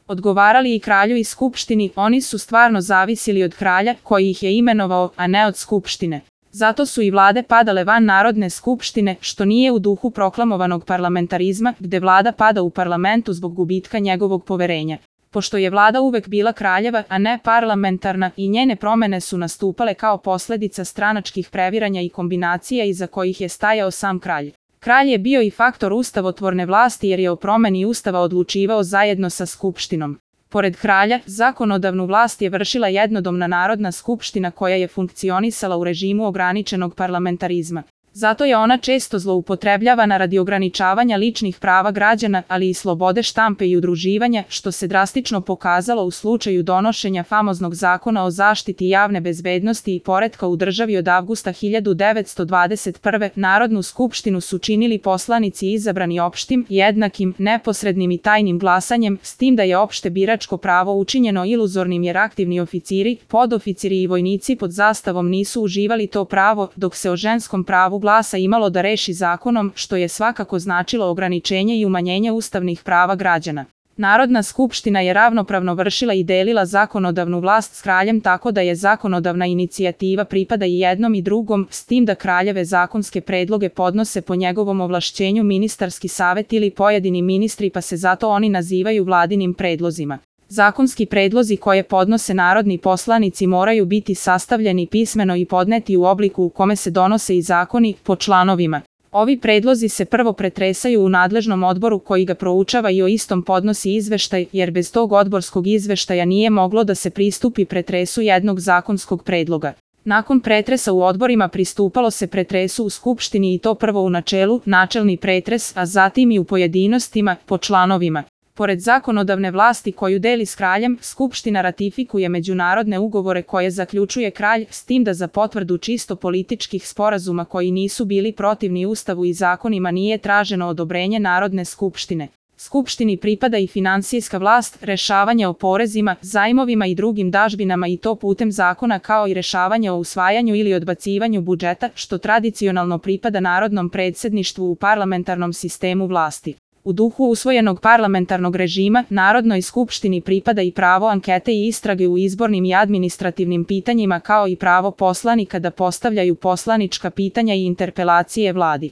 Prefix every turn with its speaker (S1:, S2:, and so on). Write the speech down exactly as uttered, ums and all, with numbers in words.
S1: odgovarali i kralju i skupštini, oni su stvarno zavisili od kralja koji ih je imenovao, a ne od skupštine. Zato su i vlade padale van Narodne skupštine, što nije u duhu proklamovanog parlamentarizma, gde vlada pada u parlamentu zbog gubitka njegovog poverenja. Pošto je vlada uvek bila kraljeva, a ne parlamentarna, i njene promene su nastupale kao posledica stranačkih previranja i kombinacija iza kojih je stajao sam kralj. Kralj je bio i faktor ustavotvorne vlasti jer je o promeni ustava odlučivao zajedno sa skupštinom. Pored kralja, zakonodavnu vlast je vršila jednodomna Narodna skupština koja je funkcionisala u režimu ograničenog parlamentarizma. Zato je ona često zloupotrebljavana radi ograničavanja ličnih prava građana, ali i slobode štampe i udruživanja, što se drastično pokazalo u slučaju donošenja famoznog zakona o zaštiti javne bezbednosti i poretka u državi od avgusta hiljadu devetsto dvadeset prve. Narodnu skupštinu su činili poslanici izabrani opštim, jednakim, neposrednim i tajnim glasanjem, s tim da je opšte biračko pravo učinjeno iluzornim jer aktivni oficiri, podoficiri i vojnici pod zastavom nisu uživali to pravo, dok se o ženskom pravu glasa imalo da reši zakonom, što je svakako značilo ograničenje i umanjenje ustavnih prava građana. Narodna skupština je ravnopravno vršila i delila zakonodavnu vlast s kraljem tako da je zakonodavna inicijativa pripada i jednom i drugom, s tim da kraljeve zakonske predloge podnose po njegovom ovlašćenju ministarski savet ili pojedini ministri pa se zato oni nazivaju vladinim predlozima. Zakonski predlozi koje podnose narodni poslanici moraju biti sastavljeni pismeno i podneti u obliku u kome se donose i zakoni, po članovima. Ovi predlozi se prvo pretresaju u nadležnom odboru koji ga proučava i o istom podnosi izveštaj, jer bez tog odborskog izveštaja nije moglo da se pristupi pretresu jednog zakonskog predloga. Nakon pretresa u odborima pristupalo se pretresu u skupštini i to prvo u načelu, načelni pretres, a zatim i u pojedinostima, po članovima. Pored zakonodavne vlasti koju deli s kraljem, skupština ratifikuje međunarodne ugovore koje zaključuje kralj, s tim da za potvrdu čisto političkih sporazuma koji nisu bili protivni ustavu i zakonima nije traženo odobrenje Narodne skupštine. Skupštini pripada i finansijska vlast, rešavanje o porezima, zajmovima i drugim dažbinama i to putem zakona kao i rešavanje o usvajanju ili odbacivanju budžeta, što tradicionalno pripada narodnom predsedništvu u parlamentarnom sistemu vlasti. U duhu usvojenog parlamentarnog režima, Narodnoj skupštini pripada i pravo ankete i istrage u izbornim i administrativnim pitanjima kao i pravo poslanika da postavljaju poslanička pitanja i interpelacije vladi.